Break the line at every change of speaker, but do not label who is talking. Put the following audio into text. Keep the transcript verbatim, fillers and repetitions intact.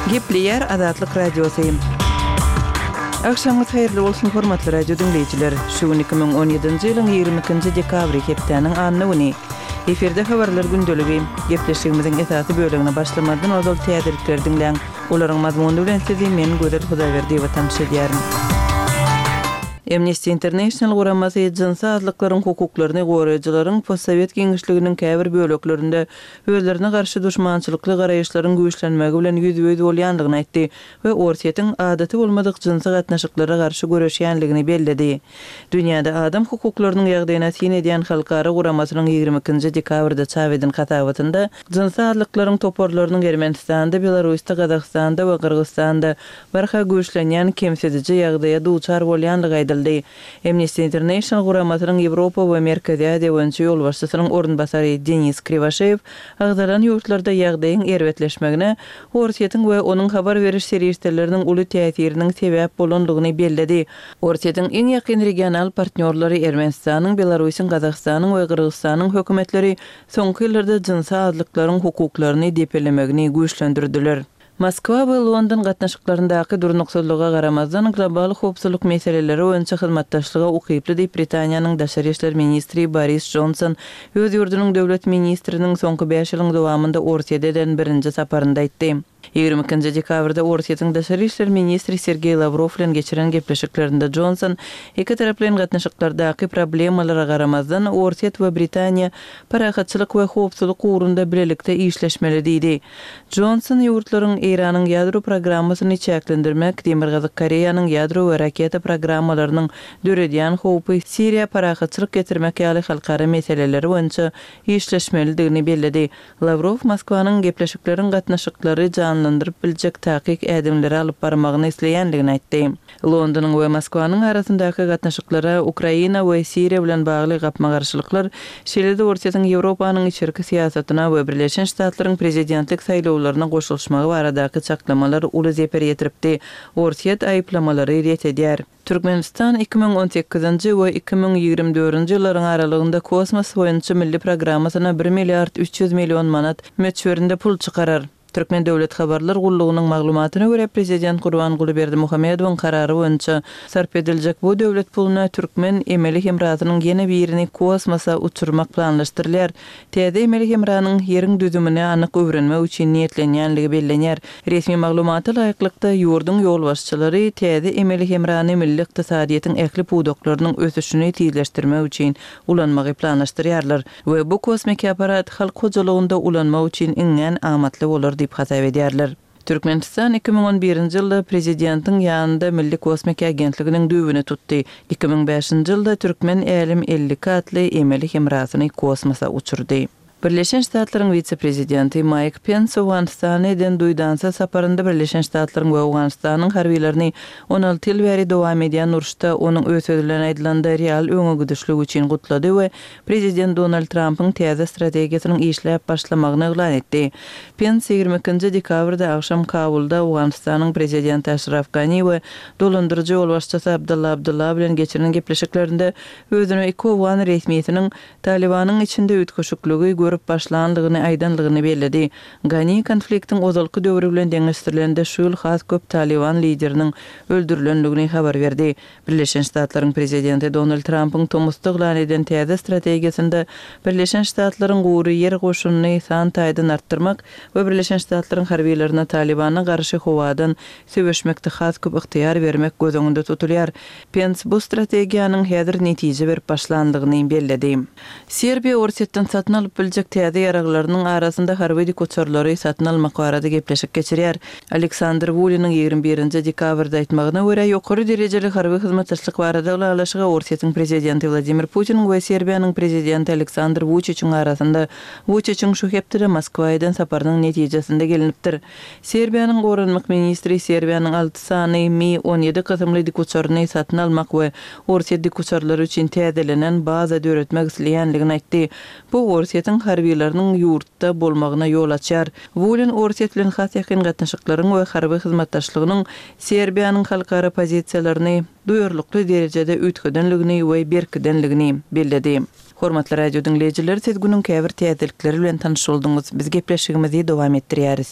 Gepleýär Azatlyk Radiosy. Agşamyňyz haýyrly bolsun, hormatly radio diňleýjiler. Şu gün iki müň on ýedinji ýylyň ýigrimi ikinji dekabry, hepdäniň anna güni. Efirde habarlar gündeligi. Gepleşigimiziň esasy bölegine başlamazdan ozal täzelikleri diňläň. Olaryň mazmuny bilen sizi men Gözel Hudaýberdiýewa tanyş edýärin. Amnesty International guramasy jynsy azlyklaryň hukuklaryny goraýjylaryň postsowet giňişliginiň käbir böleklerinde özlerine garşy duşmançylykly garaýyşlaryň güýçlenmegi bilen ýüzbe-ýüz bolýandygyny aýtdy we Orsýetiň adaty bolmadyk jynsy gatnaşyklara garşy göreşýänligini belledi. Dünýäde adam hukuklarynyň ýagdaýyna syn edýän halkara guramasynyň ýigrimi ikinji dekabrda çap eden hasabatynda jynsy azlyklaryň toparlarynyň Ermenistanda, Belarusda, Gazagystanda we Gyrgyzystanda barha güýçlenýän kemsidiji ýagdaýa duçar bolýanlygy aýdyldy. Amnesty International guramasynyň Ýewropa we Merkezi Aziýa boýunça ýolbaşçysynyň orunbasary Denis Kriwaşeýew agzalan ýurtlarda ýagdaýyň erbetleşmegine Orsýetiň we onuň habar beriş serişdeleriniň uly täsiriniň sebäp bolanlygyny belledi. Orsýetiň iň ýakyn regional partnýorlary Ermenistanyň, Belarusyň, Gazagystanyň we Gyrgyzystanyň hökümetleri soňky ýyllarda jynsy azlyklaryň hukuklaryny depelemegini güýçlendirdiler. Moskwa we London gatnaşyklaryndaky durnuksyzlyga garamazdan global howpsuzlyk meseleleri boýunça hyzmatdaşlyga ukyply diýip Britaniýanyň daşary işler ministri Boris Johnson öz ýurdunyň döwlet ministriniň soňky bäş ýylyň dowamynda Orsýete eden birinji saparynda aýtdy. Ýigrimi ikinji dekabrda Orsýetiň daşary işler ministri Sergeý Lawrow bilen geçiren gepleşiklerinde Johnson iki taraplaýyn gatnaşyklardaky problemalara garamazdan Orsýet we Britaniýa parahatçylyk we howpsuzlyk ugrunda bilelikde işleşmeli diýdi. Johnson ýurtlaryň Eýranyň ýadro programmasyny çäklendirmek, Demirgazyk Koreýanyň ýadro we raketa programmalarynyň döredýän howpy Siriýa parahatçylyk getirmek ýaly halkara meseleleri boýunça işleşmelidigini belledi. Lawrow Moskwanyň gepleşikleriň gatnaşyklary janlandyryp biljek takyk ädimleri alyp barmagyny isleýänligini aýtdy. Londonyň we Moskwanyň arasyndaky gatnaşyklara Ukraina we Siriýa bilen bagly gapma-garşylyklar, şeýle-de Orsýetiň Ýewropanyň içerki syýasatyna we Birleşen Ştatlaryň prezidentlik saýlawlaryna goşulyşmagy baradaky çaklamalar uly zeper ýetiripdi. Orsýet aýyplamalary ret edýär. Türkmenistan iki müň on sekizinji we iki müň ýigrimi dördünji ýyllaryň aralygynda kosmos boýunça milli programmasyna bir milliard üç ýüz million manat möçberinde pul çykarar. Türkmen Döwlet Habarlar Gullugynyň maglumatyna görä, Prezident Gurbanguly Berdimuhamedowyň karary boýunça sarp ediljek bu döwlet puluna türkmen emeli hemrasynyň ýene birini kosmosa uçurmak planlaşdyrylýar. Täze emeli hemranyň ýeriň düzümini anyk öwrenmek üçin niýetlenýänligi bellenýär. Resmi maglumata laýyklykda, ýurduň ýolbaşçylary täze emeli hemrany milli ykdysadyýetiň ähli pudaklarynyň ösüşini tizleşdirmek üçin ulanmagy planlaşdyrýarlar we bu kosmiki apparat halk hojalygynda ulanmak üçin iňňän amatly bolar diýip hasap edýärler. Türkmenistan iki müň on birinji ýylda prezidentiň ýanynda Milli kosmiki agentliginiň düýbüni tutdy. Iki müň bäşinji ýylda Türkmen Älem elli iki atly emeli hemrasyny kosmosa uçurdy. Birleşen Ştatlaryň wise-prezidenti Maýk Pens Owganystana eden duýdansyz saparynda Birleşen Ştatlaryň we Owganystanyň harbylaryny on alty ýyl bäri dowam edýän uruşda onuň öz sözi bilen aýdylanda real öňegidişlik üçin gutlady we prezident Donald Trampyň täze strategiýasynyň işläp başlamagyny yglan etdi. Pens ýigrimi ikinji dekabrda agşam Kabulda Owganystanyň prezidenti Aşraf Gani we dolandyryjy ýolbaşçysy Abdylla Abdylla bilen geçiren gepleşiklerinde özüne iki owgan resmisiniň Talibanyň içinde üýtgeşikligi görüp başlanlygyny aýdanlygyny belledi. Gani konfliktiň ozalky döwri bilen deňeşdirilende şu ýyl has köp Taliban lideriniň öldürilenligini habar berdi. Birleşen Ştatlaryň prezidenti Donald Trampyň tomusda yglan eden täze strategiýasynda Birleşen Ştatlaryň gury ýer goşunyny san taýdan artdyrmak we Birleşen Ştatlaryň harbylaryna Talibana garşy howadan söweşmekde has köp ygtyýar bermek göz öňünde tutulýar. Pens bu strategiýanyň häzir netije berip başlanlygyny belledi. Serbiýa Orsýetden satyn alyp biljek täze ýaraglarynyň arasynda harby dikuçarlary satyn almak barada gepleşik geçirýär. Aleksandr Wuliniň ýigrimi birinji dekabrda aýtmagyna görä, ýokary derejeli harby hyzmatdaşlyk barada ylalaşyga Orsýetiň prezidenti Wladimir Putiniň we Serbiýanyň prezidenti Aleksandr Wuçiçiň arasynda Wuçiçiň şu hepdede Moskwa eden saparynyň netijesinde gelinipdir. Serbiýanyň goranmak ministri Serbiýanyň alty sany Mi on ýedi kysymly dikuçaryny satyn almak we Orsýet dikuçarlary üçin täzelenen baza döretmek isleýänligini aýtdy. Bu Orsýetiň harbylarynyň ýurtda bolmagyna ýol açýar. Wulin Orsýet bilen has ýakyn gatnaşyklaryň we harby hyzmatdaşlygynyň Serbiýanyň halkara pozisiýalaryny duýarlykly derejede üýtgedenligini we berkidenligini belledi. Hormatly radio diňleýjiler, siz günüň käbir täzelikleri bilen tanyş bolduňyz. Biz gepleşigimizi dowam etdirýäris.